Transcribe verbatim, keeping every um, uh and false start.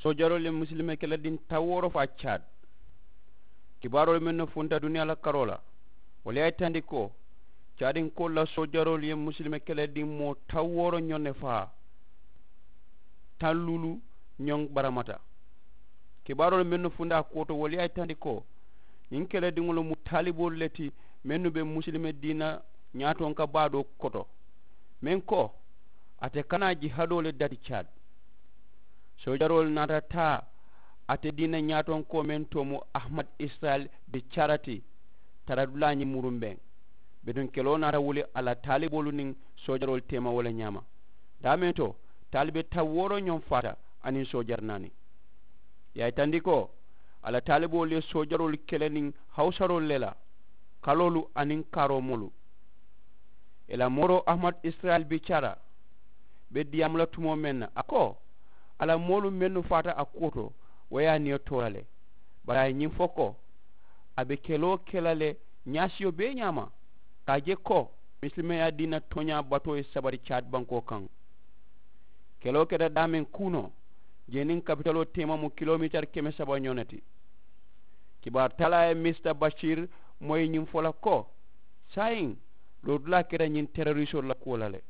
Soojaroolu ye musulime kelediŋ tawooro faa caad. Kibaaroolu mennu funta duniyaa la karoo la, wolu ye a yitandi ko caadinkoolu la soojaroolu ye musulime kelediŋ moo tawooro ñoŋ ne faa. Taŋ luulu ñoŋ baramata. Kibaaroolu mennu funta a kuwo to wolu ye a yitandi ko ñiŋ kelediŋolu mu taaliboolu le ti mennu be musulime diina ñaatonka baa doo koto, meŋ ko a te kana jihadoo le dati caad. Soojaroolu naata taa ate diina ñaatonkoo meŋ to mu ahmad israel be cara ti. Tara dulaa ñiŋ murumbeŋ bituŋ keloo naata wuli a la taaliboolu niŋ soojaroolu teema wo le ñaama. Daameŋ to taalibe tawooro ñoŋ faata aniŋ soojari naani. Ye a yitandi ko a la taaliboolu ye soojaroolu kele niŋ hawusaroolu le la kaloolu aniŋ kaaroo moolu. Ì la mooroo ahmad israel be cara be diyaamu la tumoo meŋ na a ko a la moolu mennu faata a kuwo to wo ye a niyo toora le. Bari a ye ñiŋ fo ko a be keloo ke la le ñaasiyo bee ñaama ka a je ko misilimeyaa diina tooñaa batoo ye sabari caadi bankoo kaŋ. Keloo keta daameŋ kuunoo jee niŋ kapitaloo teema mu kilomitari keme saba ñoo ne ti. Kibaaru talaa ye misita basiiri moyi ñiŋ fo la ko saayiŋ lootulaa keta ñiŋ terorisoolu la kuwo la le.